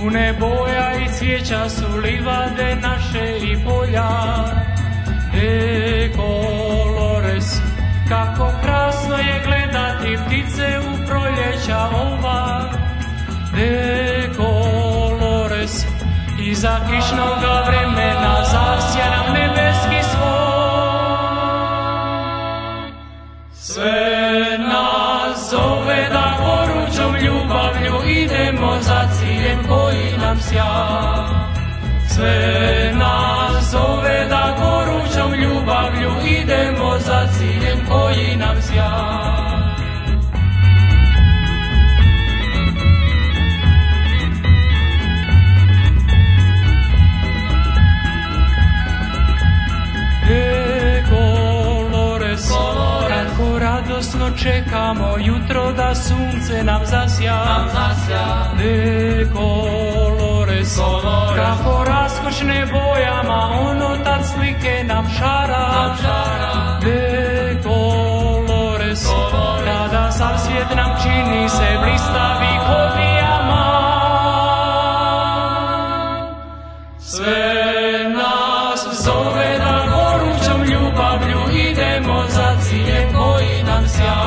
Pune boja i cvijeća su livade naše i polja. Colores, kako krasno je gledati ptice u proljeća ova. Colores, iza kišnoga vremena zasja nam nebeski svoj. Sve nas zove da gorućom ljubavlju idemo za ciljem koji nam sja. Sve nas zove da gorućom ljubavlju idemo za ciljem koji nam sja. Kako radosno čekamo jutro da sunce nam zasja. Colores, kako raskošne bojama ono tad slike nam šara. Colores, kada sav svijet nam čini se blistavi ko dijamant. Sve nas zove da gorućom ljubavlju idemo za ciljem koji nam sja.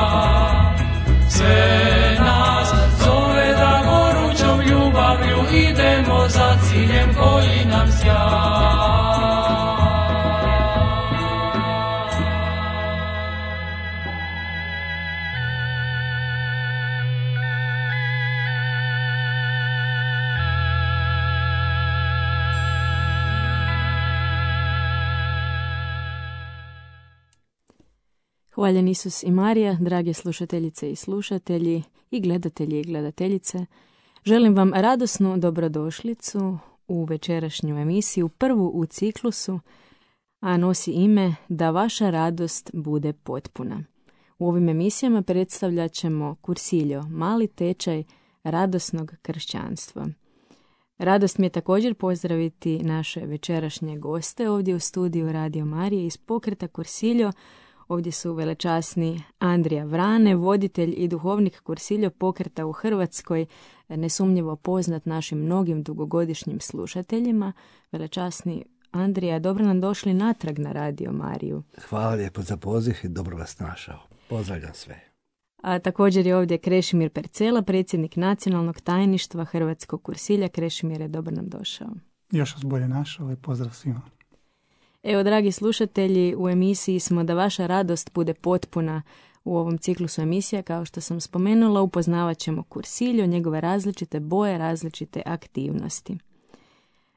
Sve nas zove da gorućom ljubavlju idemo za ciljem koji nam sja. Hvaljen Isus i Marija, drage slušateljice i slušatelji i gledatelji i gledateljice, želim vam radosnu dobrodošlicu u večerašnju emisiju, prvu u ciklusu, a nosi ime Da vaša radost bude potpuna. U ovim emisijama predstavljat ćemo kursiljo, mali tečaj radosnog kršćanstva. Radost mi je također pozdraviti naše večerašnje goste ovdje u studiju Radio Marije iz pokreta Kursiljo. Ovdje su velečasni Andrija Vrane, voditelj i duhovnik Kursiljo pokreta u Hrvatskoj, nesumnjivo poznat našim mnogim dugogodišnjim slušateljima. Velečasni Andrija, dobro nam došli natrag na Radio Mariju. Hvala lijepo za poziv i dobro vas našao. Pozdravljam sve. A također je ovdje Krešimir Percela, predsjednik nacionalnog tajništva Hrvatskog Kursilja. Krešimire, dobro nam došao. Još vas bolje našao i pozdrav svima. Evo, dragi slušatelji, u emisiji smo Da vaša radost bude potpuna. U ovom ciklusu emisija, kao što sam spomenula, upoznavat ćemo kursiljo, njegove različite boje, različite aktivnosti.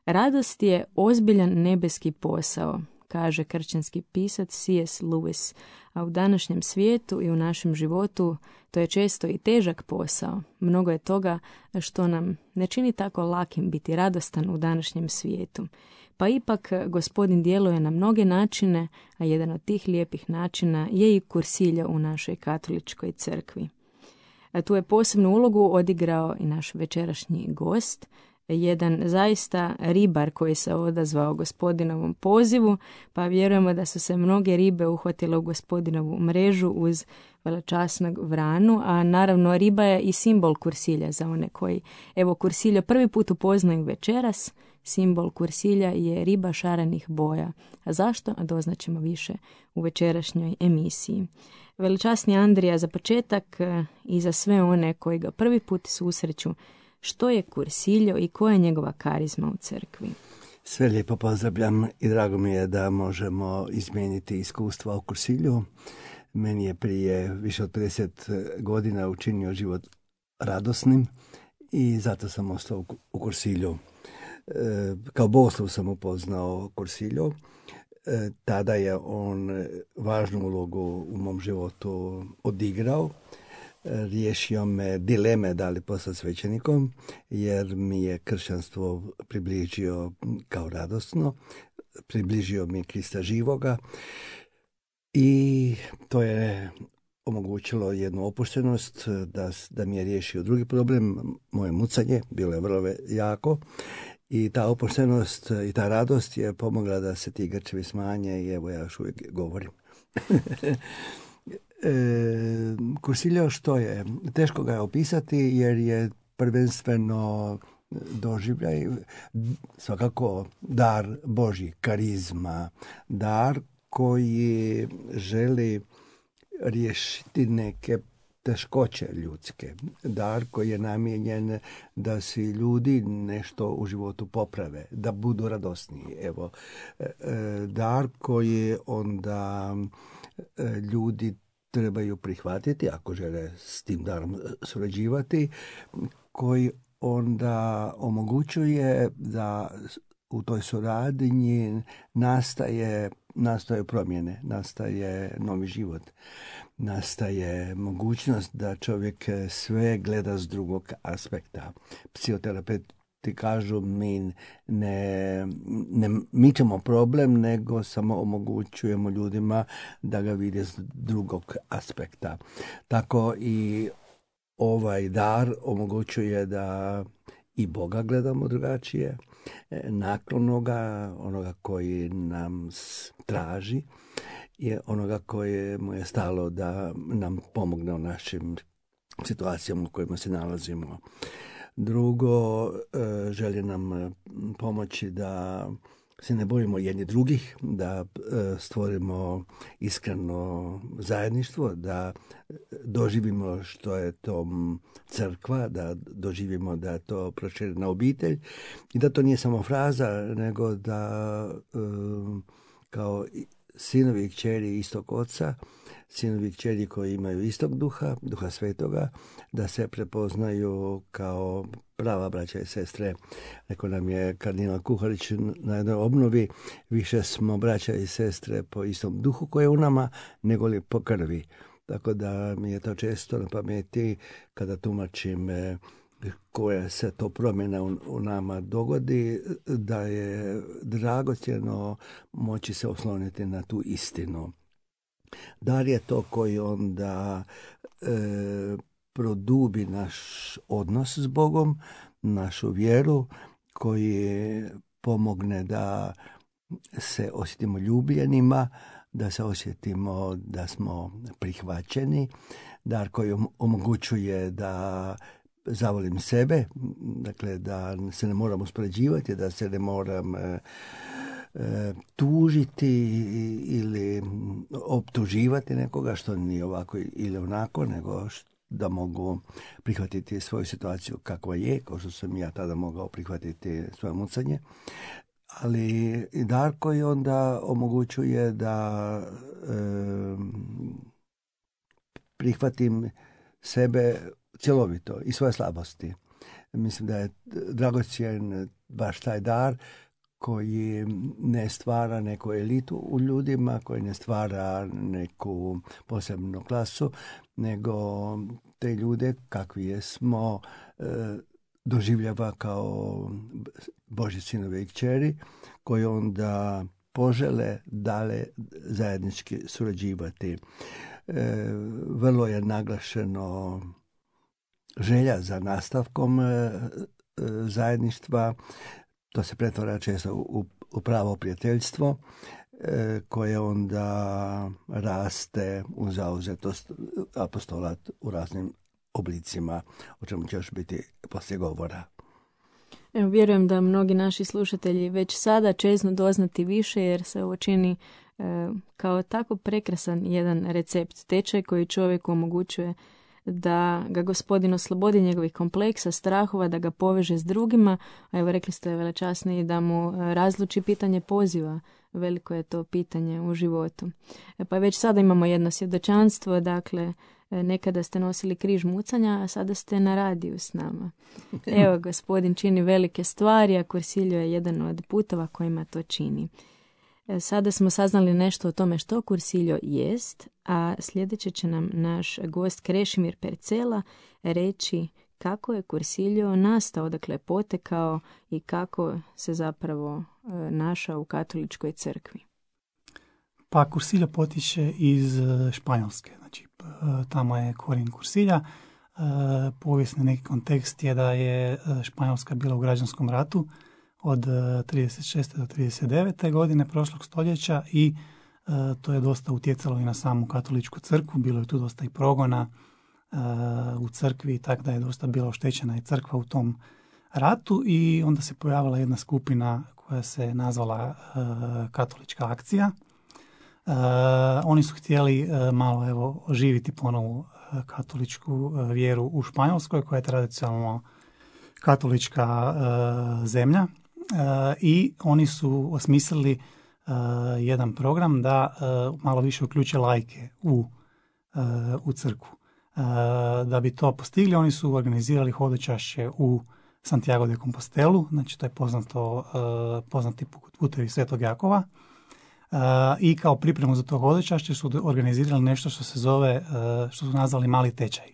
Radost je ozbiljan nebeski posao, kaže kršćanski pisac C.S. Lewis, a u današnjem svijetu i u našem životu to je često i težak posao. Mnogo je toga što nam ne čini tako lakim biti radostan u današnjem svijetu. Pa ipak Gospodin djeluje na mnoge načine, a jedan od tih lijepih načina je i kursiljo u našoj katoličkoj crkvi. A tu je posebnu ulogu odigrao i naš večerašnji gost, jedan zaista ribar koji se odazvao Gospodinovom pozivu, pa vjerujemo da su se mnoge ribe uhvatile u Gospodinovu mrežu uz velečasnog Vranu, a naravno riba je i simbol kursilja za one koji, evo, kursiljo prvi put upoznaju večeras. Simbol kursilja je riba šarenih boja. A zašto? A doznaćemo više u večerašnjoj emisiji. Velečasni Andrija, za početak i za sve one koji ga prvi put susreću, što je kursiljo i koja je njegova karizma u crkvi? Sve lijepo pozdravljam i drago mi je da možemo izmijeniti iskustva u kursilju. Meni je prije više od 50 godina učinio život radosnim i zato sam ostao u kursilju. Kao bogoslov sam upoznao kursiljo. Tada je on važnu ulogu u mom životu odigrao. Riješio me dileme da li postati svećenikom, jer mi je kršćanstvo približio kao radosno, približio mi Krista živoga i to je omogućilo jednu opuštenost da mi je riješio drugi problem, moje mucanje, bilo je vrlo jako. I ta opuštenost i ta radost je pomogla da se ti grčevi smanje i evo ja još uvijek govorim. Kursiljo što je? Teško ga je opisati jer je prvenstveno doživljaj, svakako dar Božji, karizma, dar koji želi riješiti neke teškoće ljudske, dar koji je namijenjen da si ljudi nešto u životu poprave, da budu radosniji. Evo, dar koji onda ljudi trebaju prihvatiti ako žele s tim darom surađivati, koji onda omogućuje da u toj suradnji nastaje promjene, nastaje novi život, nastaje mogućnost da čovjek sve gleda s drugog aspekta. Psihoterapeuti kažu mi ne mičemo problem, nego samo omogućujemo ljudima da ga vide s drugog aspekta. Tako i ovaj dar omogućuje da i Boga gledamo drugačije, naklonoga, onoga koji nam traži, je onoga koje mu je stalo da nam pomogne u našim situacijama u kojima se nalazimo. Drugo, želi nam pomoći da se ne bojimo jedni drugih, da stvorimo iskreno zajedništvo, da doživimo što je to crkva, da doživimo da je to proširena obitelj i da to nije samo fraza, nego da kao sinovi i kćeri istog oca, sinovi i kćeri koji imaju istog duha, duha svetoga, da se prepoznaju kao prava braća i sestre. Rekao nam je kardinal Kuharić na jednoj obnovi, više smo braća i sestre po istom duhu koji je u nama, nego li po krvi. Tako da mi je to često na pameti kada tumačim koja se to promjena u nama dogodi, da je dragocjeno moći se osloniti na tu istinu. Dar je to koji onda produbi naš odnos s Bogom, našu vjeru, koji pomogne da se osjetimo ljubljenima, da se osjetimo da smo prihvaćeni, dar koji omogućuje da zavolim sebe, dakle da se ne moram uspoređivati, da se ne moram tužiti ili optuživati nekoga što nije ovako ili onako, nego da mogu prihvatiti svoju situaciju kakva je, kao što sam ja tada mogao prihvatiti svoje mucanje. Ali i dar koji onda omogućuje da prihvatim sebe cjelovito i svoje slabosti. Mislim da je dragocjen baš taj dar koji ne stvara neku elitu u ljudima, koji ne stvara neku posebnu klasu, nego te ljude kakvi jesmo doživljava kao Božji sinovi i kćeri, koji onda požele dalje zajednički surađivati. Vrlo je naglašeno želja za nastavkom zajedništva. To se pretvara često u pravo prijateljstvo koje onda raste u zauzetost apostolat u raznim oblicima, o čemu će još biti poslije govora. Evo, vjerujem da mnogi naši slušatelji već sada čeznu doznati više, jer se ovo čini kao tako prekrasan jedan recept, tečaj koji čovjeku omogućuje da ga Gospodin oslobodi njegovih kompleksa, strahova, da ga poveže s drugima, a evo rekli ste velečasni da mu razluči pitanje poziva. Veliko je to pitanje u životu. Pa već sada imamo jedno svjedočanstvo, dakle, nekada ste nosili križ mucanja, a sada ste na radiju s nama. Evo, Gospodin čini velike stvari, a Cursilio je jedan od putova kojima to čini. Sada smo saznali nešto o tome što Cursilio jest, a sljedeće će nam naš gost Krešimir Percela reći kako je Cursilio nastao, dakle potekao i kako se zapravo našao u katoličkoj crkvi. Pa Cursilio potiče iz Španjolske, znači tamo je korijen Cursilja. Povijesni neki kontekst je da je Španjolska bila u građanskom ratu od 36. do 39. godine prošlog stoljeća i to je dosta utjecalo i na samu katoličku crkvu. Bilo je tu dosta i progona u crkvi, tako da je dosta bila oštećena i crkva u tom ratu i onda se pojavila jedna skupina koja se nazvala Katolička akcija. Oni su htjeli malo oživiti ponovo katoličku vjeru u Španjolskoj, koja je tradicionalno katolička zemlja, i oni su osmislili jedan program da malo više uključe laike u crkvu. Da bi to postigli, oni su organizirali hodočašće u Santiago de Compostelu, znači to je poznati putevi Svetog Jakova, i kao pripremu za to hodočašće su organizirali nešto što se zove, što su nazvali mali tečaj.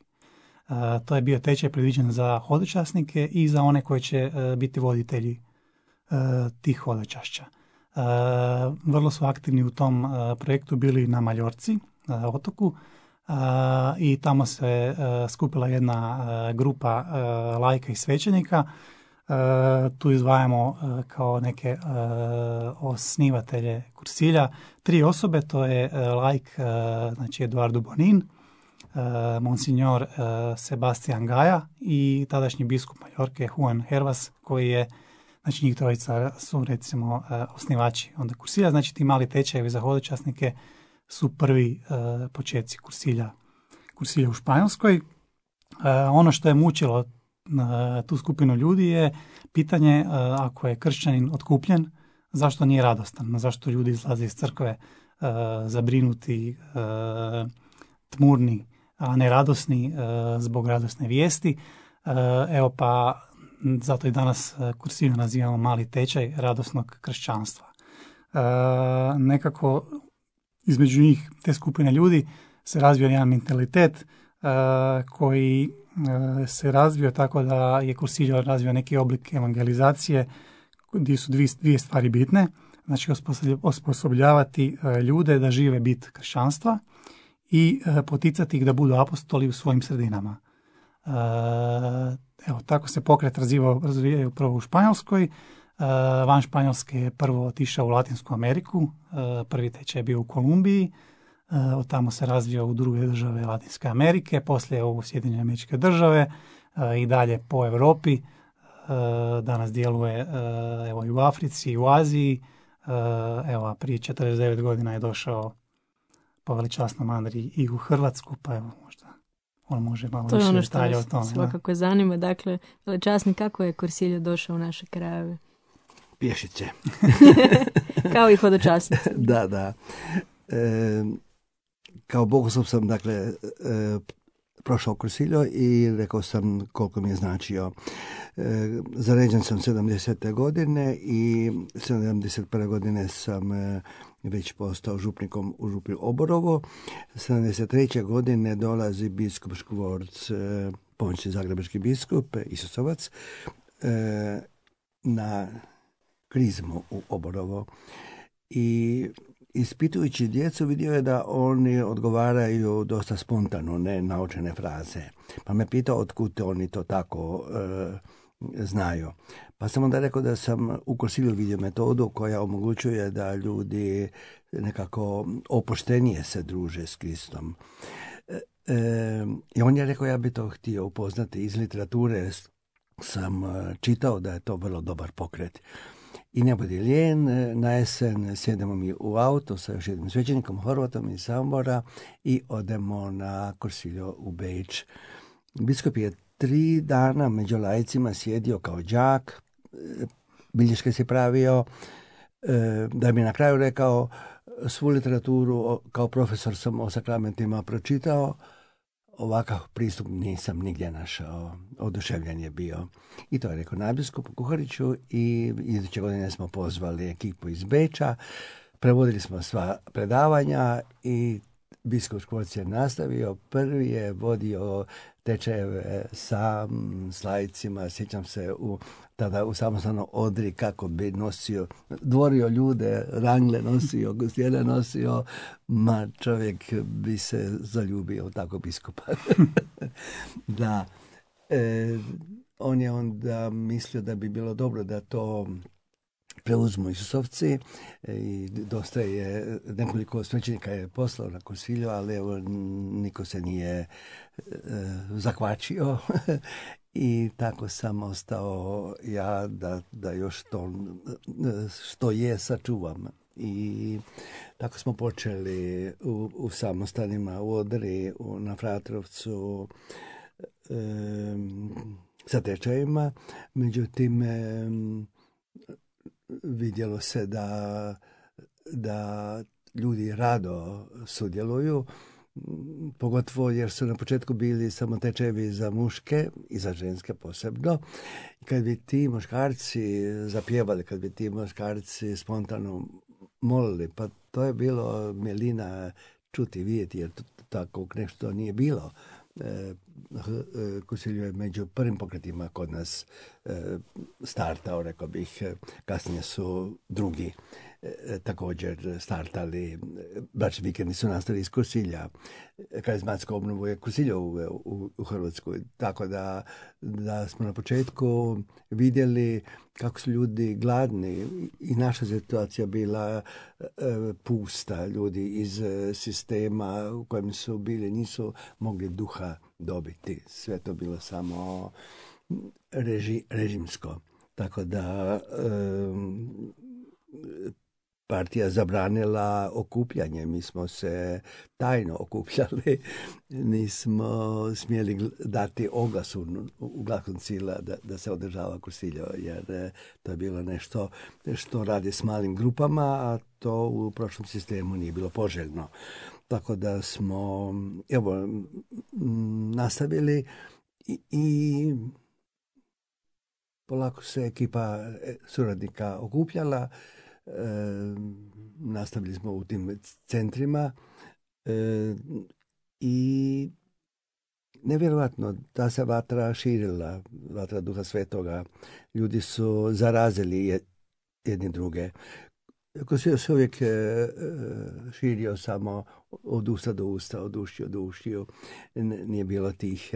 To je bio tečaj predviđen za hodočasnike i za one koji će biti voditelji tih hodočašća. Vrlo su aktivni u tom projektu bili na Maljorci, na otoku, i tamo se skupila jedna grupa laika i svećenika. Tu izdvajamo kao neke osnivatelje kursilja 3 osobe, to je laik, znači Eduardo Bonin, Monsignor Sebastian Gaja i tadašnji biskup Majorke Juan Hervas, koji je, znači njih trojica su recimo osnivači onda kursilja. Znači ti mali tečajevi za hodočasnike su prvi početci kursilja u Španjolskoj. Ono što je mučilo tu skupinu ljudi je pitanje, ako je kršćanin otkupljen, zašto nije radostan, zašto ljudi izlaze iz crkve zabrinuti, tmurni, a ne radosni zbog radosne vijesti. Evo pa zato i danas kursilju nazivamo mali tečaj radosnog kršćanstva. Nekako između njih, te skupine ljudi, se razvio jedan mentalitet koji se razvio tako da je kursiljo razvio neki oblik evangelizacije gdje su dvije stvari bitne. Znači osposobljavati ljude da žive bit kršćanstva i poticati ih da budu apostoli u svojim sredinama. Evo, tako se pokret razvijaju prvo u Španjolskoj. Van Španjolske je prvo otišao u Latinsku Ameriku, prvi tečaj je bio u Kolumbiji, od tamo se razvio u druge države Latinske Amerike, poslije u Sjedinjene Američke Države i dalje po Europi. Danas djeluje evo, i u Africi i u Aziji. Evo, prije 49 godina je došao po veličasnom Andriji i u Hrvatsku, pa evo možda on može malo više detalja o tome. To je ono što svakako zanima. Dakle, veličasni, kako je kursiljo došao u naše krajeve? Pješice. Kao i hodočasnici. Da. Kao bogoslov sam, dakle, prošao kursiljo i rekao sam koliko mi je značio. Zaređen sam 70. godine i 71. godine sam već postao župnikom u župi Oborovo. 73. godine dolazi biskup Škvorc, pomoćni zagrebački biskup, Isusovac, na krizmu u Oborovo. I ispitujući djecu vidio je da oni odgovaraju dosta spontano, ne naučene fraze. Pa me pitao otkud oni to tako znaju. Pa sam onda rekao da sam u kursilju vidio metodu koja omogućuje da ljudi nekako opuštenije se druže s Kristom. I on je rekao, ja bi to htio upoznati iz literature. Sam čitao da je to vrlo dobar pokret. I ne budi lijen, na jesen sjedemo mi u auto sa još jednim svećenikom, Horvatom iz Samobora, i odemo na kursiljo u Beč. Biskup je 3 dana među laicima sjedio kao đak, bilješke si pravio, da bi na kraju rekao svu literaturu kao profesor sam o sakramentima pročitao. Ovakav pristup nisam nigdje našao, oduševljen je bio. I to je rekao nadbiskupu Kuhariću i iduće godine smo pozvali ekipu iz Beča, prevodili smo sva predavanja i biskup Škvorc je nastavio. Prvi je vodio tečajeve sam s laicima, sjećam se tada u samostalno Odri kako bi nosio, dvorio ljude, rangle nosio, gostjene nosio, ma čovjek bi se zaljubio u tako biskupa. Da, on je onda mislio da bi bilo dobro da to preuzmu Isusovci i dosta je, nekoliko svećenika je poslao na kursilju, ali evo niko se nije zakvačio I tako sam ostao ja da još to što je sačuvam. I tako smo počeli u samostanima u Odri, na Fratrovcu, sa tečajima. Međutim, vidjelo se da ljudi rado sudjeluju, pogotovo jer su na početku bili samo tečajevi za muške i za ženske posebno. I kad bi ti muškarci zapjevali, kad bi ti muškarci spontano molili, pa to je bilo milina čuti, vidjeti, jer tako nešto nije bilo. Kursilju je među prvim pokretima kod nas startao, rekao bih. Kasnije su drugi također startali. Bračni vikendi su nastali iz Kursilja. Karizmatsku obnovu je Kursilja u Hrvatskoj. Tako da smo na početku vidjeli kako su ljudi gladni i naša situacija bila pusta. Ljudi iz sistema u kojem su bili nisu mogli duha dobiti. Sve to bilo samo režimsko. Tako da partija zabranila okupljanje. Mi smo se tajno okupljali. Nismo smjeli dati oglas u glasu koncila da se održava Kursilje, jer to je bilo nešto što radi s malim grupama, a to u prošlom sistemu nije bilo poželjno. Tako da smo nastavili i polako se ekipa suradnika okupljala. Nastavili smo u tim centrima i nevjerojatno da se vatra širila, vatra Duha Svetoga. Ljudi su zarazili jedni druge. Kursilj se uvijek širio samo od usta do usta, od ušiju do ušiju. Nije bilo tih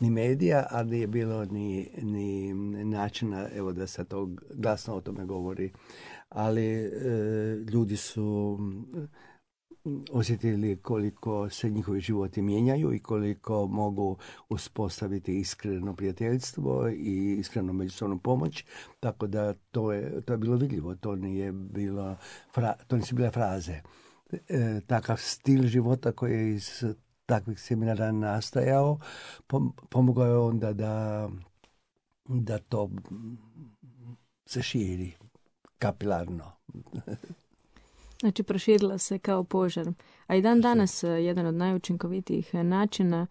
ni medija, a nije bilo ni načina da se to glasno o tome govori. Ali ljudi su osjetili koliko se njihovi životi mijenjaju i koliko mogu uspostaviti iskreno prijateljstvo i iskreno međusobnu pomoć. Tako da to je bilo vidljivo. To nisu bile fraze. Takav stil života koji je iz takvih seminara nastajao pomogao je onda da to se širi kapilarno. Znači, proširila se kao požar. A i dan danas jedan od najučinkovitijih načina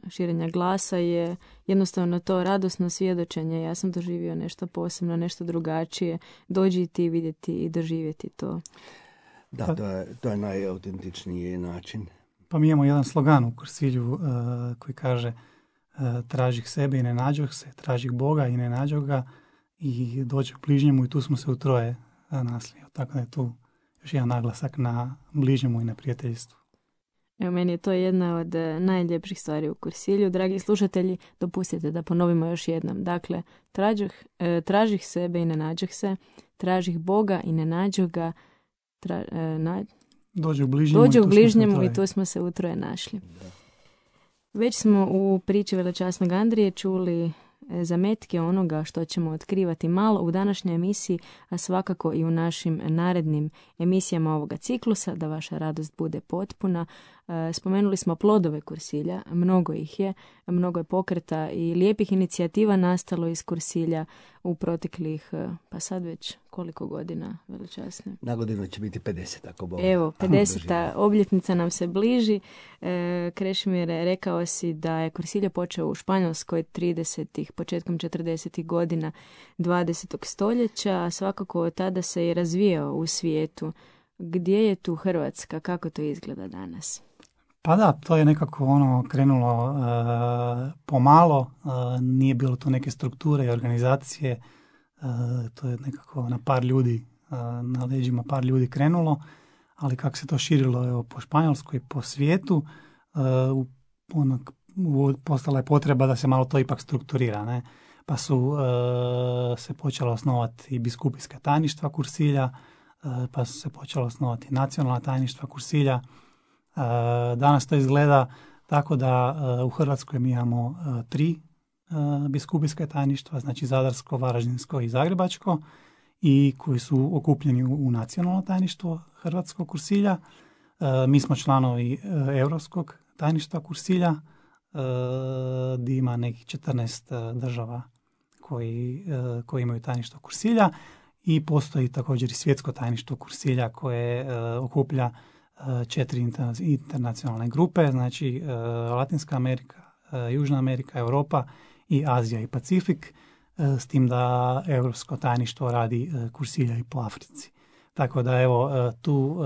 širenja glasa je jednostavno to radosno svjedočenje. Ja sam doživio nešto posebno, nešto drugačije. Dođi ti vidjeti i doživjeti to. Da, to je najautentičniji način. Pa mi imamo jedan slogan u Kursilju koji kaže tražih sebe i ne nađoh se, tražih Boga i ne nađoh ga i dođe k bližnjemu i tu smo se utroje nasli. Tako da je tu još jedan naglasak na bližnjemu i na prijateljstvu. Evo, meni je to jedna od najljepših stvari u Kursilju. Dragi slušatelji, dopustite da ponovimo još jednom. Dakle, tražih sebe i ne nađoh se, tražih Boga i ne nađoh ga, dođe u bližnjemu i tu smo se utroje našli. Već smo u priči velečasnog Andrije čuli zametke onoga što ćemo otkrivati malo u današnjoj emisiji, a svakako i u našim narednim emisijama ovoga ciklusa, da vaša radost bude potpuna. Spomenuli smo plodove Kursilja, mnogo ih je, mnogo je pokreta i lijepih inicijativa nastalo iz Kursilja u proteklih, pa sad već koliko godina, velečasne? Na godinu će biti 50, ako Bog. Evo, 50. obljetnica nam se bliži. Krešimir, rekao si da je Kursilje počeo u Španjolskoj 30-ih, početkom 40-ih godina 20. stoljeća, a svakako od tada se je razvijao u svijetu. Gdje je tu Hrvatska? Kako to izgleda danas? Pa da, to je nekako krenulo pomalo, nije bilo tu neke strukture i organizacije, to je nekako na par ljudi, na leđima par ljudi krenulo, ali kako se to širilo po Španjolskoj, po svijetu, postala je potreba da se malo to ipak strukturira, ne? Pa su se počela osnovati i biskupijska tajništva Kursilja, pa su se počela osnovati nacionalna tajništva Kursilja. Danas to izgleda tako da u Hrvatskoj mi imamo 3 biskupijska tajništva, znači Zadarsko, Varaždinsko i Zagrebačko, i koji su okupljeni u nacionalno tajništvo Hrvatskog kursilja. Mi smo članovi Europskog tajništva kursilja, gdje ima nekih 14 država koji imaju tajništvo kursilja, i postoji također i svjetsko tajništvo kursilja koje okuplja 4 internacionalne grupe, znači Latinska Amerika, Južna Amerika, Europa i Azija i Pacifik, s tim da Europsko tajništvo radi kursilja i po Africi. Tako da evo, tu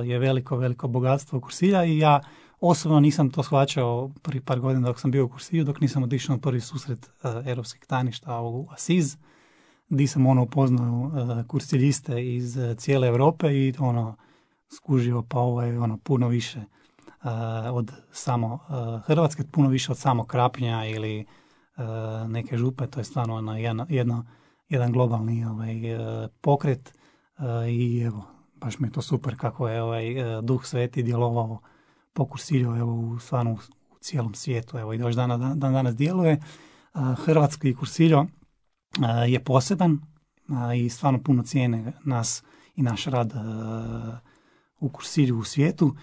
je veliko bogatstvo kursilja, i ja osobno nisam to shvaćao prvi par godina dok sam bio u kursilju, dok nisam otišao na prvi susret europskih tajništva u Asiz, gdje sam upoznao kursiljiste iz cijele Europe i skužio, pa ovo je puno više od samo Hrvatske, puno više od samo Krapnja ili neke župe. To je stvarno jedan globalni pokret, i evo, baš mi je to super kako je Duh Sveti djelovao po kursilju, evo, stvarno u cijelom svijetu, evo, i još danas djeluje. Hrvatski kursiljo je poseban i stvarno puno cijene nas i naš rad u kursilju u svijetu,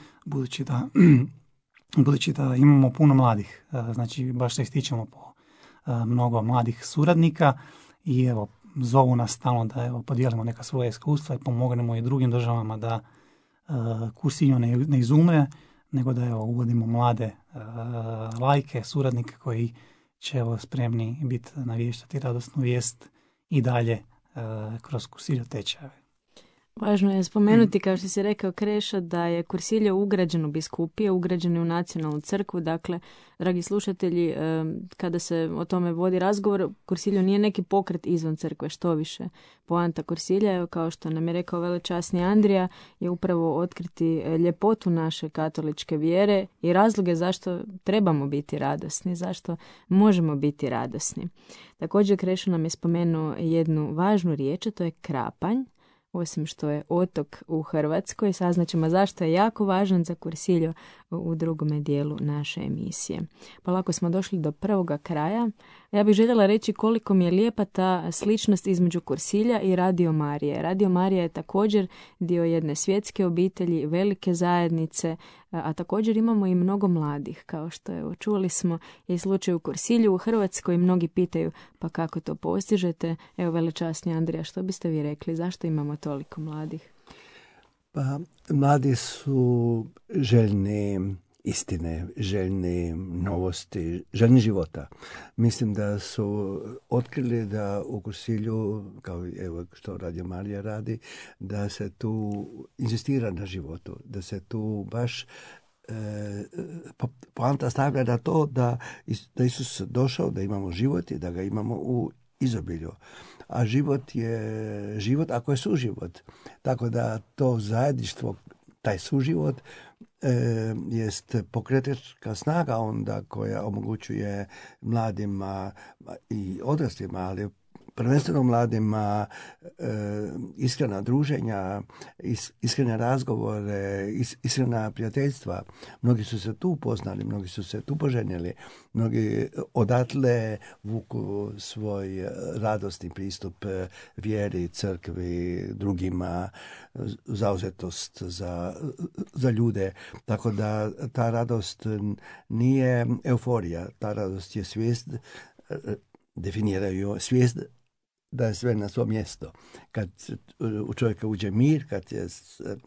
budući da imamo puno mladih, znači baš se ističemo po mnogo mladih suradnika, i evo, zovu nas stalno da evo, podijelimo neka svoja iskustva i pomognemo i drugim državama da kursilju ne izumre, nego da evo, uvodimo mlade lajke, suradnike koji će evo, spremni biti naviještati radosnu vijest i dalje kroz kursilju tečajeve. Važno je spomenuti, kao što si rekao, Kreša, da je kursilje ugrađen u biskupije, ugrađen u nacionalnu crkvu. Dakle, dragi slušatelji, kada se o tome vodi razgovor, kursilju nije neki pokret izvan crkve, što više. Poanta kursilja, kao što nam je rekao velečasni Andrija, je upravo otkriti ljepotu naše katoličke vjere i razloge zašto trebamo biti radosni, zašto možemo biti radosni. Također, Krešo nam je spomenuo jednu važnu riječ, a to je krapanj. Osim što je otok u Hrvatskoj, saznaćemo zašto je jako važan za kursiljo u drugome dijelu naše emisije. Polako smo došli do prvoga kraja. Ja bih željela reći koliko mi je lijepa ta sličnost između kursilja i Radio Marije. Radio Marija je također dio jedne svjetske obitelji, velike zajednice, a također imamo i mnogo mladih, kao što je čuli smo i slučaj u kursilju u Hrvatskoj. Mnogi pitaju, pa kako to postižete? Evo, velečasni Andrija, što biste vi rekli? Zašto imamo toliko mladih? Pa, mladi su željni istine, željni novosti, željni života. Mislim da su otkrili da u kursilju, kao evo što Radio Marija radi, da se tu inzistira na životu, da se tu baš poanta stavlja na to da Isus došao, da imamo život i da ga imamo u izobilju. A život je život ako je suživot. Tako da to zajedništvo, taj suživot jest pokretačka snaga onda koja omogućuje mladima i odraslima, ali prvenstveno mladima iskrena druženja, iskrene razgovore, iskrena prijateljstva. Mnogi su se tu upoznali, mnogi su se tu poženjeli, mnogi odatle vuku svoj radosni pristup vjeri, crkvi, drugima, zauzetost za ljude. Tako da ta radost nije euforija, ta radost je svijest, definiraju svijest da je sve na svom mjesto. Kad u čovjeka uđe mir, kad je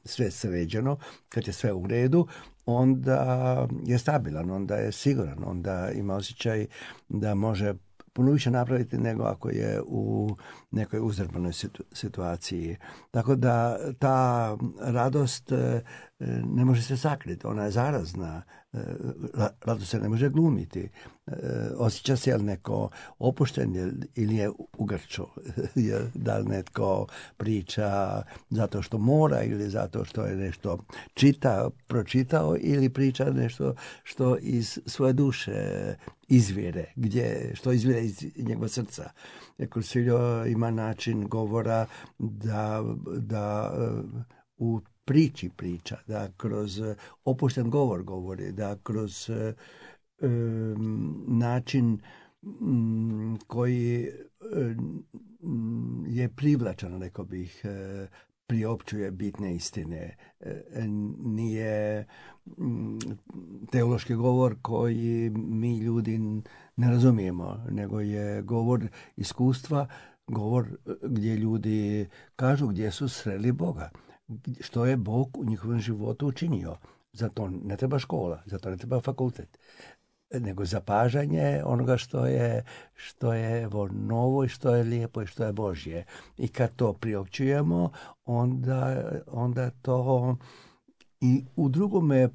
sve sređeno, kad je sve u redu, onda je stabilan, onda je siguran, onda ima osjećaj da može puno više napraviti nego ako je u nekoj uzdrmanoj situaciji. Tako da ta radost ne može se sakriti, ona je zarazna. Radost se ne može glumiti. Osjeća se jel neko opušten ili je ugrčo. Da li netko priča zato što mora ili zato što je nešto pročitao ili priča nešto što iz svoje duše izvire, što izvire iz njegova srca. Kursiljo ima način govora da u priči priča, da kroz opušten govor govori, da kroz način koji je privlačan, rekao bih, priopćuje bitne istine. Nije teološki govor koji mi ljudi ne razumijemo, nego je govor iskustva, govor gdje ljudi kažu gdje su sreli Boga, što je Bog u njihovom životu učinio. Zato ne treba škola, zato ne treba fakultet, nego zapažanje onoga što je novo i što je lijepo i što je Božje. I kad to priopćujemo, onda to i u drugome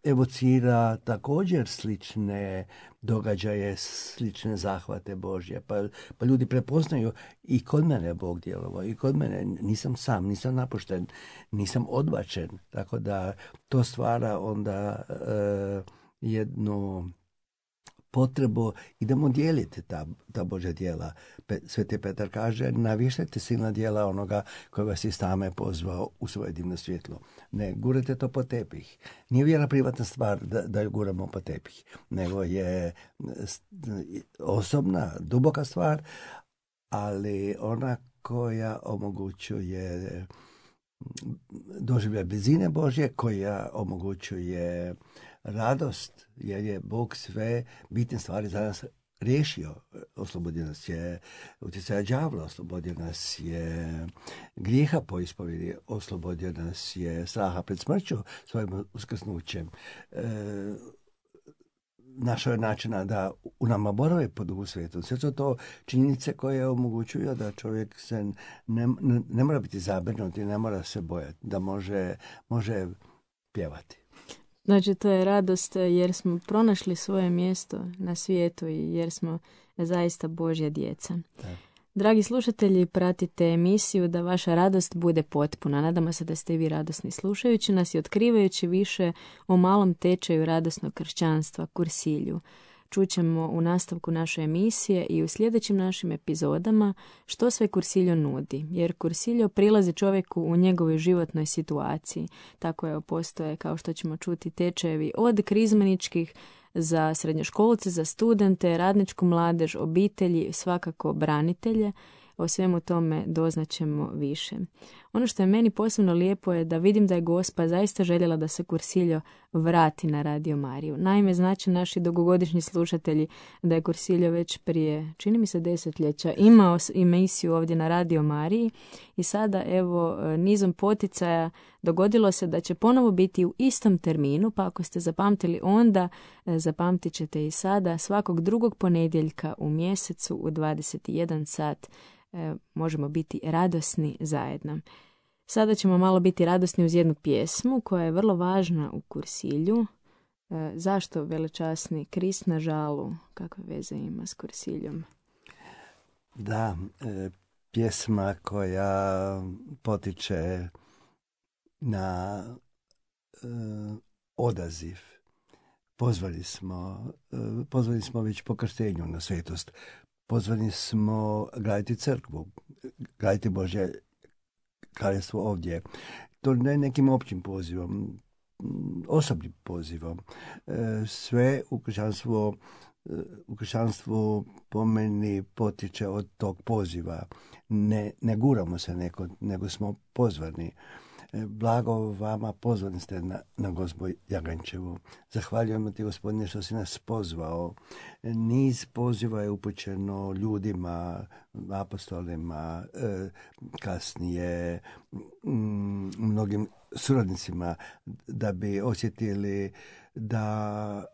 evocira također slične događaje, slične zahvate Božje. Pa ljudi prepoznaju i kod mene je Bog djelovao, i kod mene nisam sam, nisam napušten, nisam odbačen. Tako da to stvara onda jednu potrebu, idemo dijeliti ta Božja djela. Sveti Petar kaže, navještajte silna djela onoga koji vas iz tame pozvao u svoje divno svjetlo. Ne gurajte to po tepih. Nije vjera privatna stvar da ju guramo po tepih, nego je osobna, duboka stvar, ali ona koja omogućuje doživljaj blizine Božje, koja omogućuje radost, jer je Bog sve bitne stvari za nas riješio. Oslobodio nas je utjecaja đavla, oslobodio nas je grijeha po ispovjedi, oslobodio nas je straha pred smrću svojim uskrsnućem. Našao je načina da u nama boravi po Duhu Svetom. Sve su to činjenice koje omogućuju da čovjek se ne mora biti zabrinut i ne mora se bojati, da može pjevati. Znači, to je radost jer smo pronašli svoje mjesto na svijetu i jer smo zaista Božja djeca. Da. Dragi slušatelji, pratite emisiju Da vaša radost bude potpuna. Nadamo se da ste i vi radosni slušajući nas i otkrivajući više o malom tečaju radosnog kršćanstva, kursilju. Čućemo u nastavku naše emisije i u sljedećim našim epizodama što sve kursiljo nudi, jer kursiljo prilazi čovjeku u njegovoj životnoj situaciji. Tako je, postoje, kao što ćemo čuti, tečajevi od krizmaničkih za srednjoškolce, za studente, radničku mladež, obitelji, svakako branitelje. O svemu tome doznaćemo više. Ono što je meni posebno lijepo je da vidim da je Gospa zaista željela da se kursiljo vrati na Radio Mariju. Naime, znači naši dugogodišnji slušatelji da je kursiljo već prije, čini mi se, desetljeća imao emisiju ovdje na Radio Mariji i sada evo nizom poticaja dogodilo se da će ponovo biti u istom terminu, pa ako ste zapamtili onda, zapamtit ćete i sada, svakog drugog ponedjeljka u mjesecu u 21 sat možemo biti radosni zajedno. Sada ćemo malo biti radosni uz jednu pjesmu koja je vrlo važna u kursilju. Zašto velečasni Krist na žalu? Kakve veze ima s kursiljom? Da, pjesma koja potiče na odaziv. Pozvani smo već po krštenju na svetost. Pozvani smo graditi crkvu, graditi Božje kraljevstvo ovdje. To ne nekim općim pozivom, osobnim pozivom. Sve u kršćanstvu po meni potiče od tog poziva. Ne guramo se nego smo pozvani. Blago vama, pozvani ste na Gospu Jagančevu. Zahvaljujemo ti, Gospodine, što si nas pozvao. Niz poziva je upućeno ljudima, apostolima, kasnije mnogim suradnicima, da bi osjetili da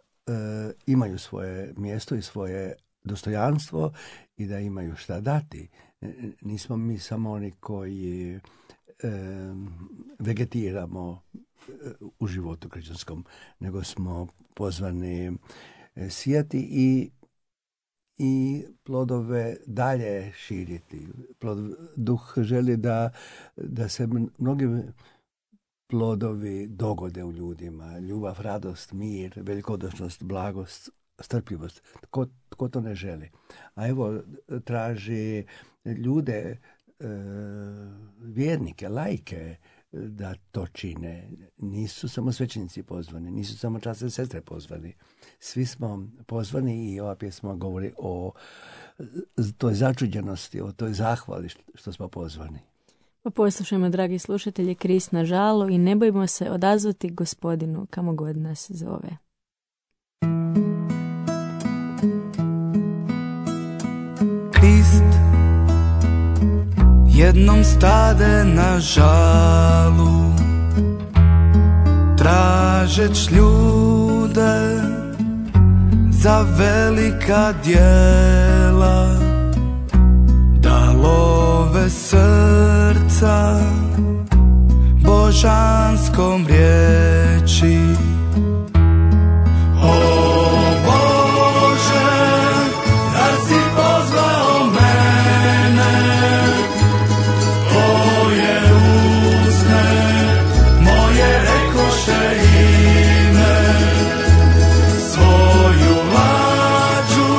imaju svoje mjesto i svoje dostojanstvo i da imaju šta dati. Nismo mi samo oni koji vegetiramo u životu kršćanskom, nego smo pozvani sijati i plodove dalje širiti. Duh želi da se mnogi plodovi dogode u ljudima. Ljubav, radost, mir, velikodušnost, blagost, strpljivost. Tko to ne želi? A evo, traži ljude, vjernike, laike, da to čine. Nisu samo svećenici pozvani, nisu samo časne sestre pozvani. Svi smo pozvani i ova pjesma govori o toj začuđenosti, o toj zahvali što smo pozvani. Pa poslušajmo, dragi slušatelji, Krist na žalu i ne bojimo se odazvati Gospodinu kamo god nas zove. Krist jednom stade na žalu, tražeć ljude za velika djela, da love srca božanskom riječi. O Bože, zar si pozvao mene, tvoje usne moje rekoše ime, svoju lađu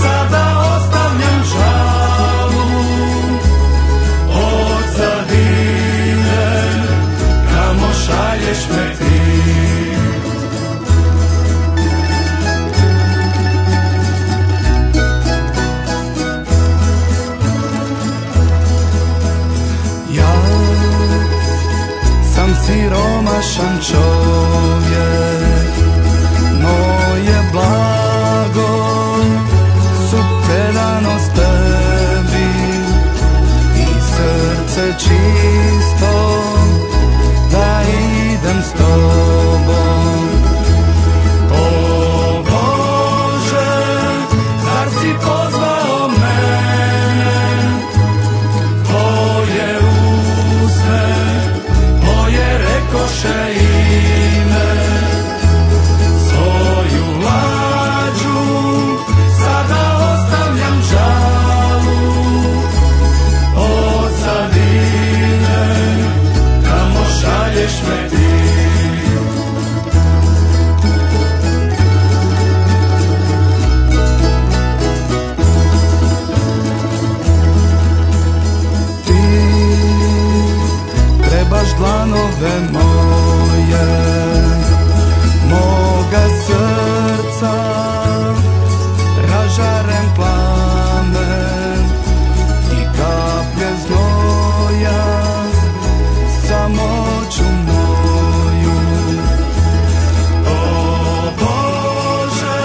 sada ostavljam žalu, od zadine kamo šalješ me ti. Siromašan čovjek, moje blago su predanost tebi i srce čisto da idem s tobom. O Bože, zar si pozvao mene, tvoje usne rekoše ime, svoju lađu sada ostavljam žalu, od zadine kamo šalješ me ti. Trebaš dlanove moje, moga srca, ražaren plamen i kaplje znoja, samoću moju. O Bože,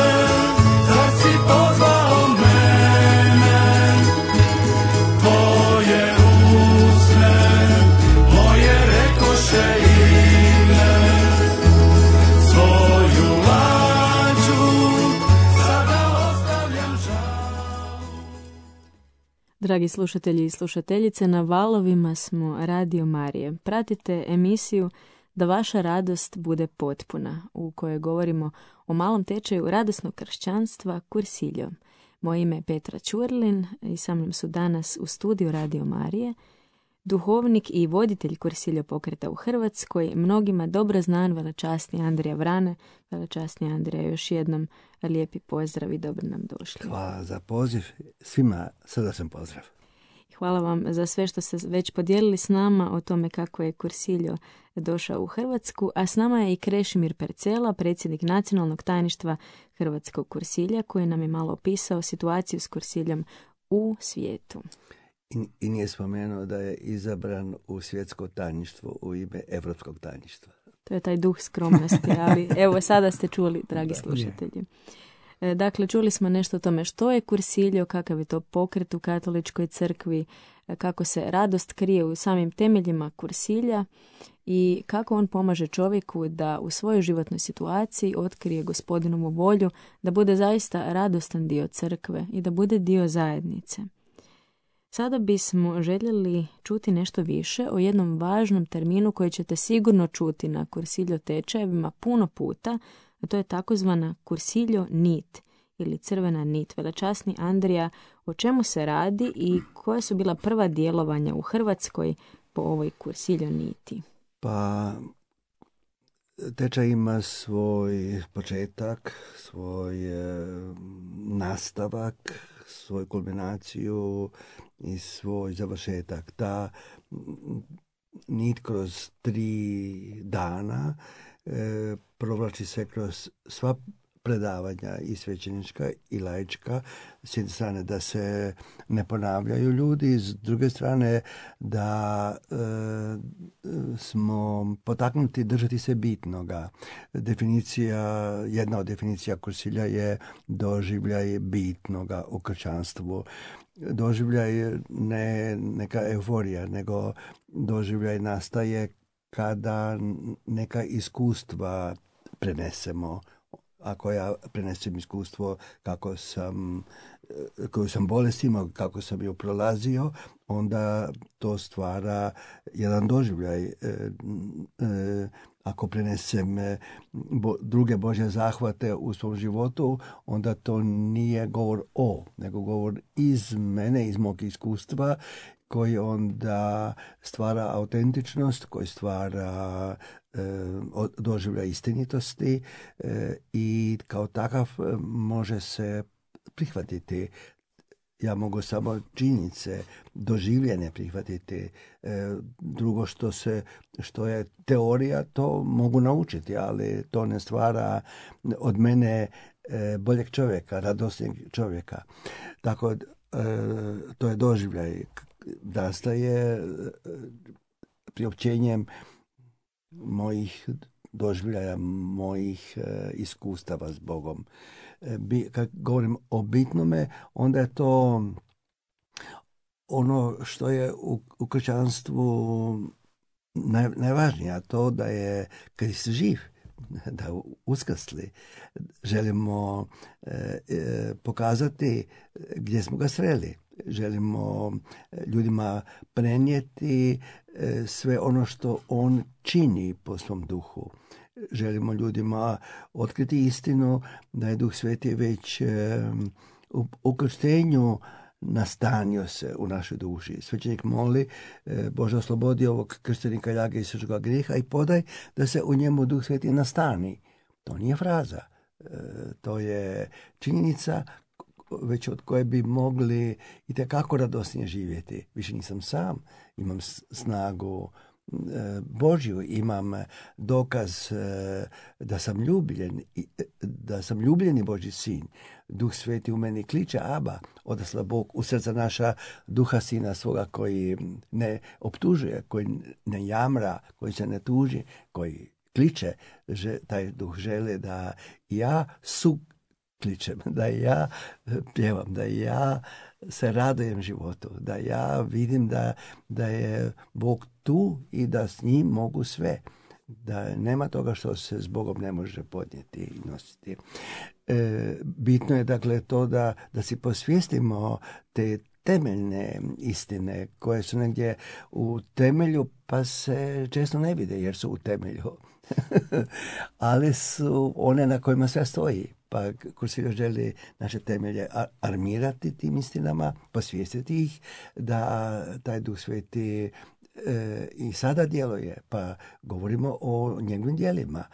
zar si pozvao mene, tvoje usne moje rekoše ime, svoju lađu sada ostavljam žal. Dragi slušatelji i slušateljice, na valovima smo Radio Marije. Pratite emisiju Da vaša radost bude potpuna, u kojoj govorimo o malom tečaju radosnog kršćanstva Kursiljo. Moje ime je Petra Ćurlin i sa mnom su danas u studiju Radio Marije duhovnik i voditelj Kursiljo pokreta u Hrvatskoj, mnogima dobro znan velečasni Andrija Vrane. Velečasni Andrija, još jednom lijepi pozdrav i dobro nam došli. Hvala za poziv, svima srdačan pozdrav. Hvala vam za sve što ste već podijelili s nama o tome kako je Kursiljo došao u Hrvatsku, a s nama je i Krešimir Percela, predsjednik nacionalnog tajništva Hrvatskog Kursilja, koji nam je malo opisao situaciju s Kursiljom u svijetu. I nije spomenuo da je izabran u svjetsko tajništvo u ime Evropskog tajništva. To je taj duh skromnosti, ali evo sada ste čuli, dragi slušatelji. Dakle, čuli smo nešto o tome što je Kursiljo, kakav je to pokret u katoličkoj crkvi, kako se radost krije u samim temeljima Kursilja i kako on pomaže čovjeku da u svojoj životnoj situaciji otkrije Gospodinovu volju, da bude zaista radostan dio crkve i da bude dio zajednice. Sada bismo željeli čuti nešto više o jednom važnom terminu koji ćete sigurno čuti na Kursiljo tečajevima puno puta, a to je takozvana Kursiljo nit ili crvena nit. Velečasni Andrija, o čemu se radi i koja su bila prva djelovanja u Hrvatskoj po ovoj Kursiljo niti? Pa tečaj ima svoj početak, svoj nastavak, svoju kulminaciju i svoj završetak. Ta nit kroz 3 dana, provlači se kroz sva predavanja i svećenička i laička, s jedne strane da se ne ponavljaju ljudi, s druge strane da smo potaknuti držati se bitnoga. Jedna od definicija kursilja je doživljaj bitnoga u kršćanstvu. Doživljaj ne neka euforija, nego doživljaj nastaje kada neka iskustva prenesemo. Ako ja prenesem iskustvo koju sam bolest imao, kako sam ju prolazio, onda to stvara jedan doživljaj. Ako prenesem druge Božje zahvate u svom životu, onda to nije govor nego govor iz mene, iz mog iskustva, koji onda stvara autentičnost, koji stvara doživljaj istinitosti i kao takav može se prihvatiti. Ja mogu samo činjenice, doživljene prihvatiti. Drugo što je teorija, to mogu naučiti, ali to ne stvara od mene boljeg čovjeka, radosnijeg čovjeka. Tako to je doživljaj. Nastaje priopćenjem mojih doživljaja, mojih iskustava s Bogom. Kad govorim o bitnome, onda je to ono što je u kršćanstvu najvažnije, a to da je Krist živ, da uskrsli. Želimo pokazati gdje smo ga sreli. Želimo ljudima prenijeti sve ono što on čini po svom duhu. Želimo ljudima otkriti istinu da je Duh Sveti već u krštenju nastanio se u našoj duši. Svećenik moli, Bože, oslobodi ovog krštenika ljage i svetoga grijeha i podaj da se u njemu Duh Sveti nastani. To nije fraza. To je činjenica već od koje bi mogli itekako radosnije živjeti. Više nisam sam, imam snagu Božju, imam dokaz da sam ljubljen, da sam ljubljeni Božji sin. Duh Sveti u meni kliče, Aba, odasla Bog u srca naša, duha sina svoga koji ne optužuje, koji ne jamra, koji se ne tuži, koji kliče. Taj duh žele da ja kličem, da ja pjevam, da ja se radujem životu, da ja vidim da je Bog tu i da s njim mogu sve. Da nema toga što se s Bogom ne može podnijeti i nositi. Bitno je dakle to da si posvijestimo te temeljne istine koje su negdje u temelju pa se često ne vide jer su u temelju. Ali su one na kojima sve stoji. Pa Kursiljo želi naše temelje armirati tim istinama, posvijestiti ih da taj Duh Sveti i sada djeluje. Pa govorimo o njegovim djelima.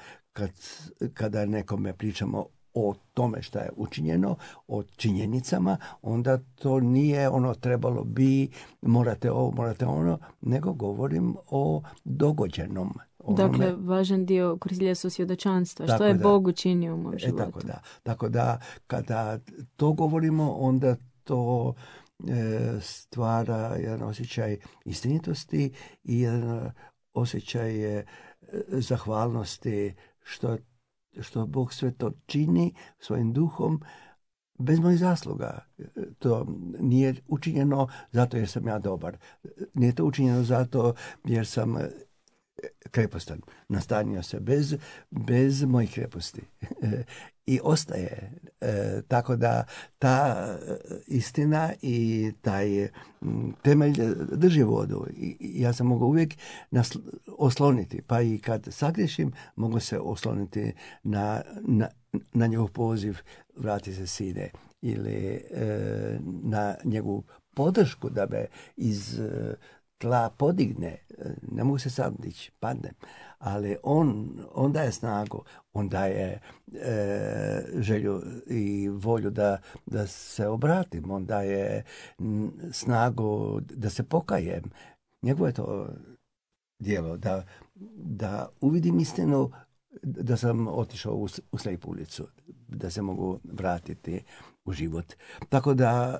Kada nekome pričamo o tome šta je učinjeno, o činjenicama, onda to nije ono trebalo bi, morate ovo, morate ono, nego govorim o dogođenom. Dakle, važan dio Kursilja su svjedočanstva. Što je Bog učinio u mom životu. Tako da, kada to govorimo, onda to stvara jedan osjećaj istinitosti i jedan osjećaj zahvalnosti što Bog sve to čini svojim duhom bez mojih zasluga. To nije učinjeno zato jer sam ja dobar. Nije to učinjeno zato jer sam krepostan. Nastanio se bez mojih kreposti. I ostaje. Tako da ta istina i taj temelj drži vodu. I ja se mogu uvijek osloniti. Pa i kad sagriješim, mogu se osloniti na njegov poziv vrati se sine. Ili na njegovu podršku da me iz tla podigne. Ne mogu se sam dići, padnem. Ali on daje snagu, on daje želju i volju da se obratim, on daje snagu da se pokajem. Njegovo je to djelo, da uvidim istinu, da sam otišao u slijepu ulicu, da se mogu vratiti u život. Tako da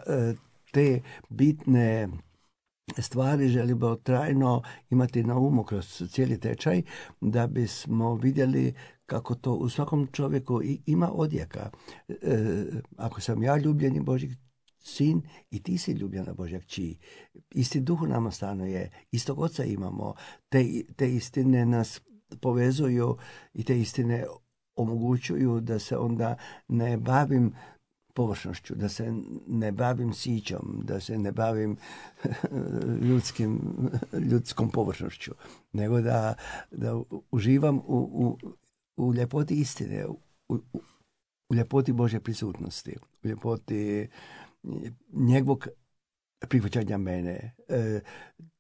te bitne stvari želimo trajno imati na umu kroz cijeli tečaj, da bismo vidjeli kako to u svakom čovjeku ima odjeka. Ako sam ja ljubljeni Božji sin i ti si ljubljena Božja kći, isti duh u nama stanuje, istog oca imamo, te istine nas povezuju i te istine omogućuju da se onda ne bavim površnošću, da se ne bavim sićom, da se ne bavim ljudskom površnošću, nego da uživam u ljepoti istine, u ljepoti Božje prisutnosti, u ljepoti njegovog prihvaćanja mene.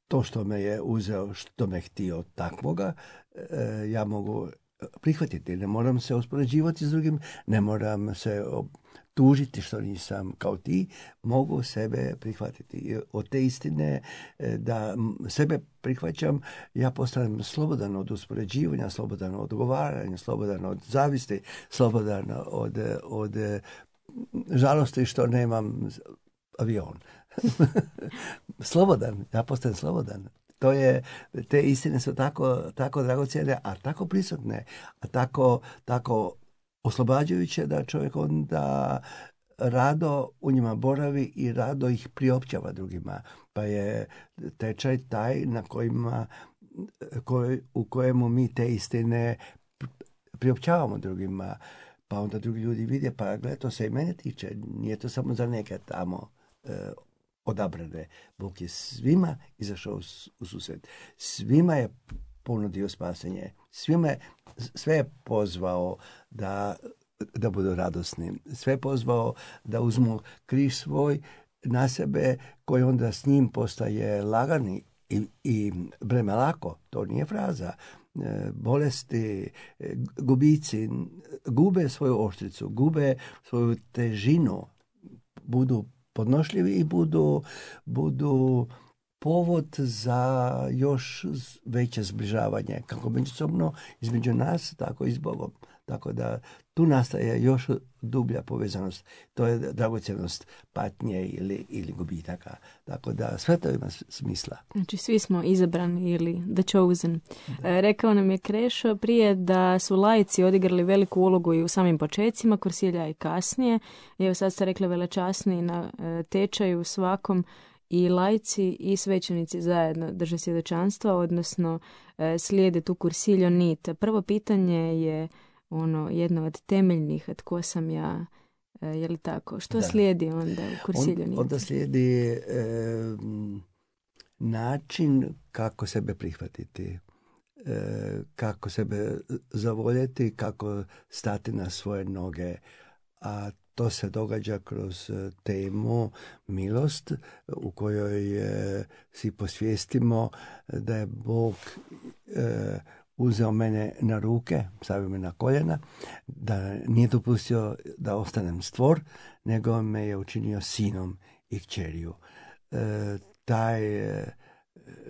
To što me je uzeo, što me htio takvoga, ja mogu prihvatiti. Ne moram se uspoređivati s drugim, ne moram se tužiti što nisam kao ti, mogu sebe prihvatiti. Od te istine da sebe prihvaćam, ja postanem slobodan od uspoređivanja, slobodan od odgovaranja, slobodan od zavisti, slobodan od žalosti što nemam avion. Slobodan, ja postanem slobodan. Te istine su tako dragocjene, a tako prisutne, a tako oslobađajuće da čovjek onda rado u njima boravi i rado ih priopćava drugima. Pa je tečaj taj u kojemu mi te istine priopćavamo drugima. Pa onda drugi ljudi vide, pa gleda, to se i mene tiče, nije to samo za neke tamo odabrane. Bog je svima izašao u susret. Svima je ponudio spasenje. Sve je pozvao da budu radosni. Sve je pozvao da uzmu križ svoj na sebe, koji onda s njim postaje lagani i breme lako. To nije fraza. Bolesti, gubici gube svoju oštricu, gube svoju težinu, budu podnošljivi i budu povod za još veće zbližavanje, kako međusobno između nas, tako i s Bogom. Tako da tu nastaje još dublja povezanost. To je dragocjenost patnje ili gubitaka. Tako da sve to ima smisla. Znači svi smo izabrani ili the chosen. Rekao nam je Krešo prije da su laici odigrali veliku ulogu i u samim počecima Kursilja i kasnije. Evo sad ste rekli velečasni na tečaju svakom, i laici i svećenici zajedno drže svjedočanstva, odnosno slijede tu Kursiljo nit. Prvo pitanje je jedno od temeljnih, tko sam ja, je li tako? Što slijedi onda u Kursiljo nit? Onda slijedi način kako sebe prihvatiti, kako sebe zavoljeti, kako stati na svoje noge, a to se događa kroz temu milost, u kojoj si posvijestimo da je Bog uzeo mene na ruke, stavio me na koljena, da nije dopustio da ostanem stvor, nego me je učinio sinom i kćeriju. Taj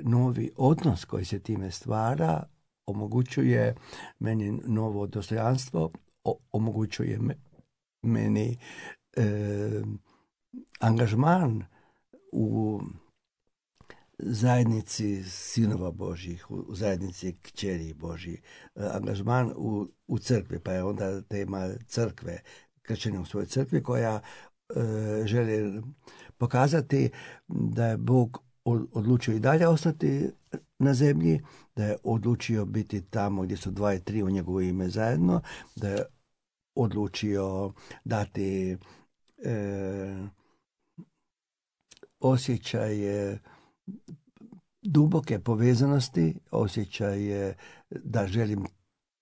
novi odnos koji se time stvara omogućuje meni novo dostojanstvo, omogućuje meni angažman u zajednici sinova Božjih, u zajednici kćeri Božjih, angažman u crkvi, pa je onda tema crkve, kršćenja u svojoj crkvi, koja želi pokazati da je Bog odlučio i dalje ostati na zemlji, da je odlučio biti tamo gdje su 2 i 3 u njegovo ime zajedno, da je odlučio dati osjećaj duboke povezanosti, osjećaj da želim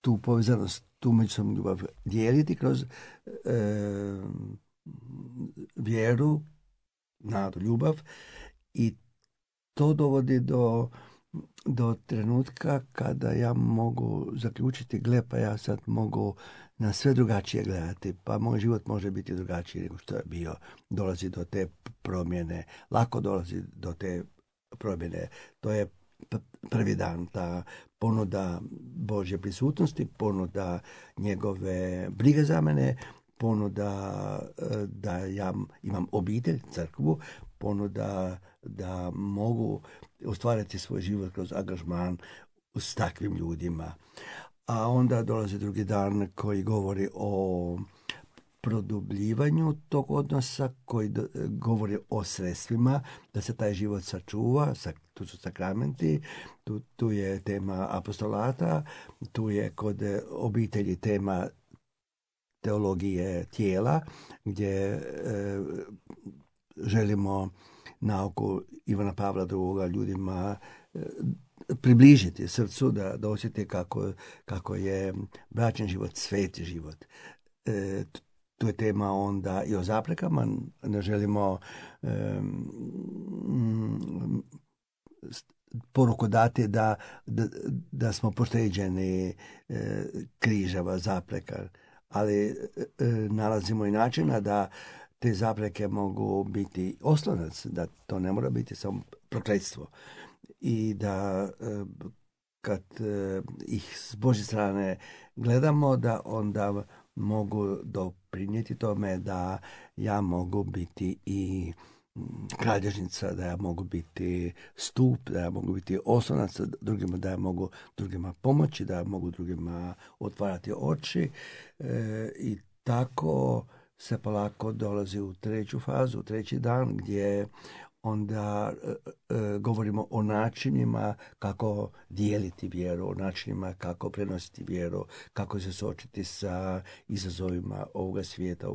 tu povezanost, tu međusobnu ljubav dijeliti kroz vjeru, nadu, ljubav, i to dovodi do trenutka kada ja mogu zaključiti, gle, pa ja sad mogu na sve drugačije gledati, pa moj život može biti drugačiji nego što je bio. Dolazi do te promjene, lako dolazi do te promjene. To je prvi dan, ta ponuda Božje prisutnosti, ponuda njegove brige za mene, ponuda da ja imam obitelj, crkvu, ponuda da mogu ostvariti svoj život kroz angažman s takvim ljudima. A onda dolazi drugi dan koji govori o produbljivanju tog odnosa, koji govori o sredstvima da se taj život sačuva. Tu su sakramenti, tu je tema apostolata, tu je kod obitelji tema teologije tijela, gdje želimo nauku Ivana Pavla II. Ljudima približiti srcu, da osjeti kako je bračni život sveti život. Tu je tema onda i o zaprekama. Ne želimo poruku dati da smo pošteđeni križeva, zapreka, ali nalazimo i načina da te zapreke mogu biti oslonac, da to ne mora biti samo prokletstvo. I da kad ih s Božje strane gledamo, da onda mogu doprinijeti tome da ja mogu biti i kralježnica, da ja mogu biti stup, da ja mogu biti oslonac drugima, da ja mogu drugima pomoći, da ja mogu drugima otvarati oči. I tako se polako dolazi u treću fazu, u treći dan, gdje onda govorimo o načinima kako dijeliti vjeru, o načinima kako prenositi vjeru, kako se suočiti sa izazovima ovoga svijeta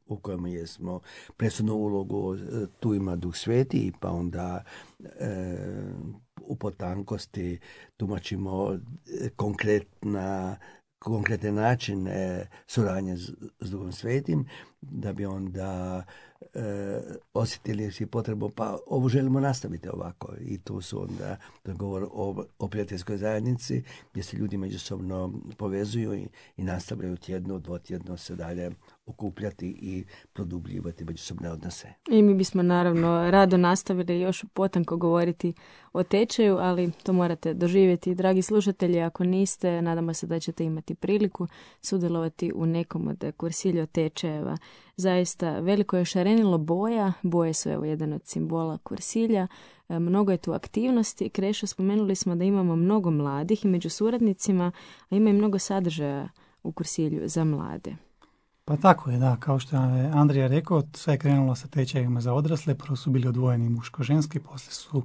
u kojem jesmo. Presudnu ulogu tu ima Duh Sveti, pa onda u potankosti tumačimo konkretne načine suradnje s Duhom Svetim, da bi onda osjetili si potrebu, pa ovo želimo nastaviti ovako. I tu su onda govor o prijateljskoj zajednici, gdje se ljudi međusobno povezuju i nastavljaju tjedno, dvotjedno se dalje okupljati i produbljivati međusobne odnose. I mi bismo naravno rado nastavili još potanko govoriti o tečaju, ali to morate doživjeti. Dragi slušatelji, ako niste, nadamo se da ćete imati priliku sudjelovati u nekom od kursilja tečajeva. Zaista veliko je šarenilo boja. Boje su evo jedan od simbola kursilja. Mnogo je tu aktivnosti. Krešo, spomenuli smo da imamo mnogo mladih i među suradnicima, a ima i mnogo sadržaja u kursilju za mlade. Pa tako je, da. Kao što je Andrija rekao, sve je krenulo sa tečajevima za odrasle. Prvo su bili odvojeni muško-ženski, poslije su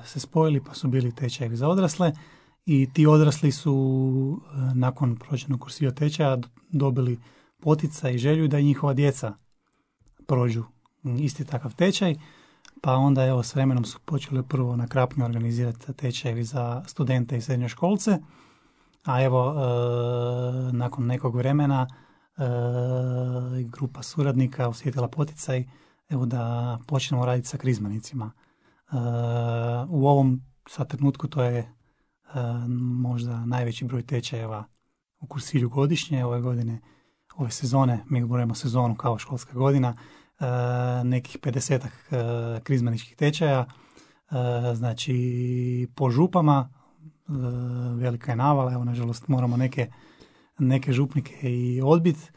se spojili pa su bili tečajevi za odrasle. I ti odrasli su nakon prođenog kursilja tečaja dobili poticaj i želju da i njihova djeca prođu isti takav tečaj. Pa onda evo s vremenom su počeli prvo na Krapnju organizirati tečajevi za studente i srednjoškolce. A evo nakon nekog vremena grupa suradnika osjetila poticaj evo da počnemo raditi sa krizmanicima. U ovom sad trenutku to je možda najveći broj tečajeva u kursilju godišnje. Ove sezone, mi govorimo sezonu kao školska godina, nekih 50 krizmaničkih tečaja, znači po župama, velika je navala, evo nažalost moramo neke župnike i odbiti,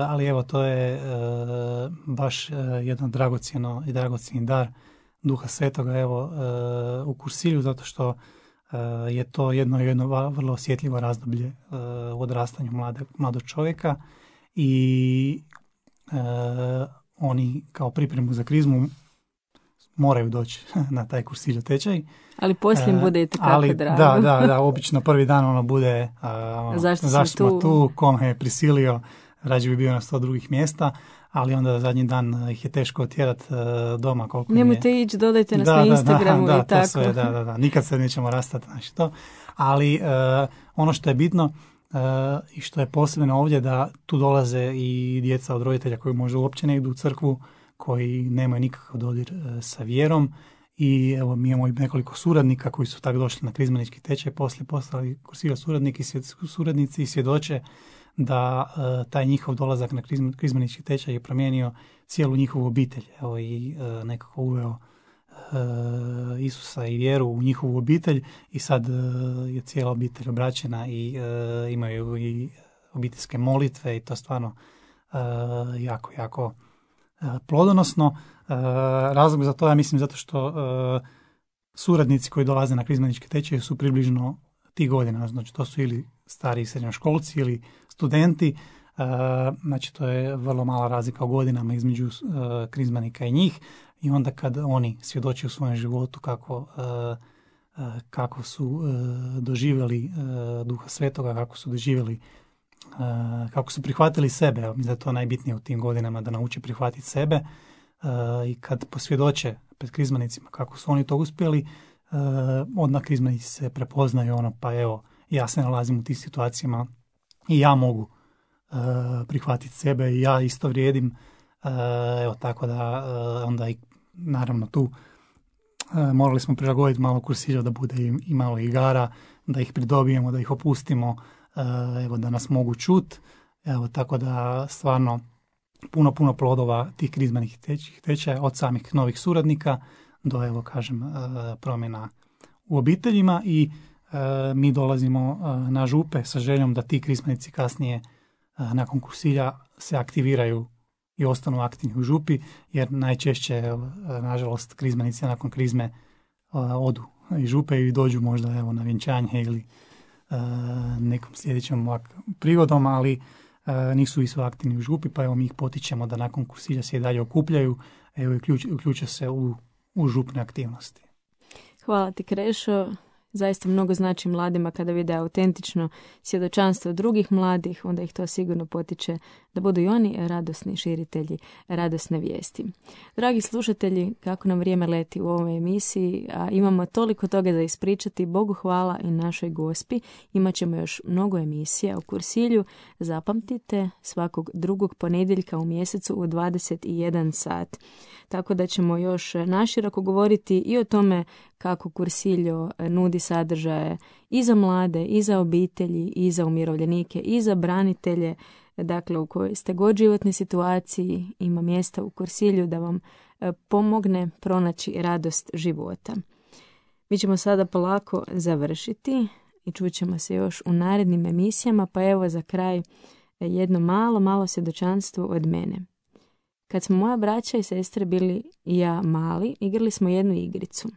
ali evo to je baš jedan dragocjeni dar Duha Svetoga evo u kursilju, zato što je to jedno vrlo osjetljivo razdoblje u odrastanju mladog čovjeka i oni kao pripremu za krizmu moraju doći na taj kursilj tečaj. Ali poslije im bude i tako drago. Da, obično prvi dan ono bude zašto smo tu, ko me je prisilio, rađe bi bio na 100 drugih mjesta, ali onda zadnji dan ih je teško otjerati doma. Nemojte ići, dodajte nas na Instagramu i tako. Sve, da, nikad se nećemo rastati, znači to. Ali ono što je bitno i što je posebno ovdje, da tu dolaze i djeca od roditelja koji možda uopće ne idu u crkvu, koji nemaju nikakav dodir sa vjerom. I evo mi imamo nekoliko suradnika koji su tako došli na krizmanički tečaj, poslije postali kursilja suradnici i svjedoče da taj njihov dolazak na krizmanički tečaj je promijenio cijelu njihovu obitelj. Evo i nekako uveo Isusa i vjeru u njihovu obitelj i sad je cijela obitelj obraćena i imaju i obiteljske molitve i to stvarno jako, jako plodonosno. Razlog za to, ja mislim, zato što suradnici koji dolaze na krizmaničke tečaje su približno tih godina, znači to su ili stari srednjoškolci ili studenti, znači to je vrlo mala razlika u godinama između krizmanika i njih i onda kad oni svjedoče u svojem životu kako su doživjeli Duha Svetoga, kako su doživjeli, kako su prihvatili sebe, mislim da je to najbitnije u tim godinama, da nauče prihvatiti sebe i kad posvjedoče pred krizmanicima kako su oni to uspjeli, odmah krizmanici se prepoznaju, pa evo, ja se nalazim u tim situacijama i ja mogu prihvatiti sebe i ja isto vrijedim, evo tako da onda i naravno tu morali smo prilagoditi malo kursilja da bude i malo igara, da ih pridobijemo, da ih opustimo, evo da nas mogu čut, evo tako da stvarno puno plodova tih krizmanih tečaja od samih novih suradnika do, evo kažem, promjena u obiteljima i mi dolazimo na župe sa željom da ti krizmanici kasnije nakon kursilja se aktiviraju i ostanu aktivni u župi, jer najčešće, nažalost, krizmanici nakon krizme odu iz župe i dođu možda na vjenčanje ili nekom sljedećom prigodom, ali nisu i su aktivni u župi, pa evo mi ih potičemo da nakon kursilja se i dalje okupljaju, evo i uključe se u župne aktivnosti. Hvala ti, Krešo. Zaista mnogo znači mladima kada vide autentično svjedočanstvo drugih mladih, onda ih to sigurno potiče da budu i oni radosni širitelji radosne vijesti. Dragi slušatelji, kako nam vrijeme leti u ovoj emisiji, a imamo toliko toga za ispričati, Bogu hvala i našoj Gospi. Imat ćemo još mnogo emisija u Kursilju. Zapamtite, svakog drugog ponedjeljka u mjesecu u 21 sat. Tako da ćemo još naširoko govoriti i o tome kako Kursiljo nudi sadržaje i za mlade, i za obitelji, i za umirovljenike, i za branitelje. Dakle, u kojoj ste god životnoj situaciji, ima mjesta u Kursilju da vam pomogne pronaći radost života. Mi ćemo sada polako završiti i čućemo se još u narednim emisijama, pa evo za kraj jedno malo svjedočanstvo od mene. Kad smo moja braća i sestre bili i ja mali, igrali smo jednu igricu.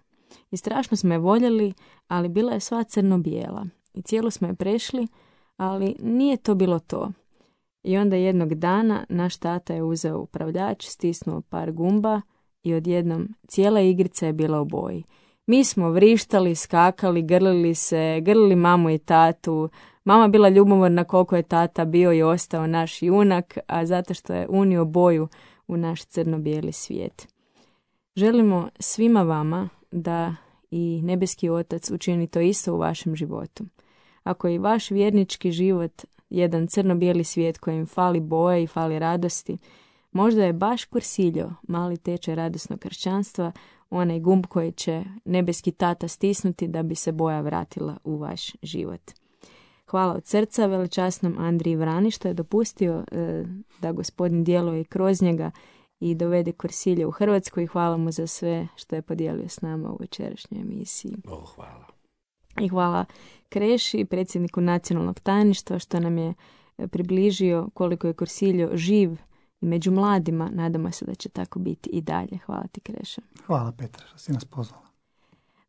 I strašno smo je voljeli, ali bila je sva crno-bijela. I cijelo smo je prešli, ali nije to bilo to. I onda jednog dana naš tata je uzeo upravljač, stisnuo par gumba i odjednom cijela igrica je bila u boji. Mi smo vrištali, skakali, grlili mamu i tatu. Mama bila ljubomorna koliko je tata bio i ostao naš junak, a zato što je unio boju u naš crno-bijeli svijet. Želimo svima vama da i nebeski Otac učini to isto u vašem životu. Ako je i vaš vjernički život jedan crno-bijeli svijet kojem fali boje i fali radosti, možda je baš Kursiljo, mali tečaj radosnog kršćanstva, onaj gumb koji će nebeski tata stisnuti da bi se boja vratila u vaš život. Hvala od srca veličasnom Andriji Vrani što je dopustio da Gospodin djeluje kroz njega i dovede Kursilje u Hrvatsku i hvala mu za sve što je podijelio s nama u večerašnjoj emisiji. Hvala. I hvala Kreši, predsjedniku nacionalnog tajništva, što nam je približio koliko je Kursiljo živ i među mladima. Nadamo se da će tako biti i dalje. Hvala ti, Kreša. Hvala, Petra, što si nas pozvala.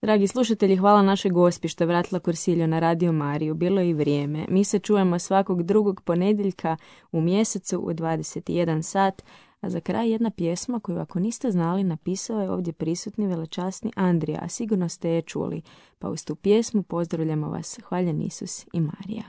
Dragi slušatelji, hvala našoj Gospi što je vratila Kursiljo na Radio Mariju. Bilo je i vrijeme. Mi se čujemo svakog drugog ponedjeljka u mjesecu u 21 sat. A za kraj jedna pjesma koju, ako niste znali, napisao je ovdje prisutni velečasni Andrija, a sigurno ste je čuli. Pa uz tu pjesmu pozdravljamo vas, hvaljen Isus i Marija.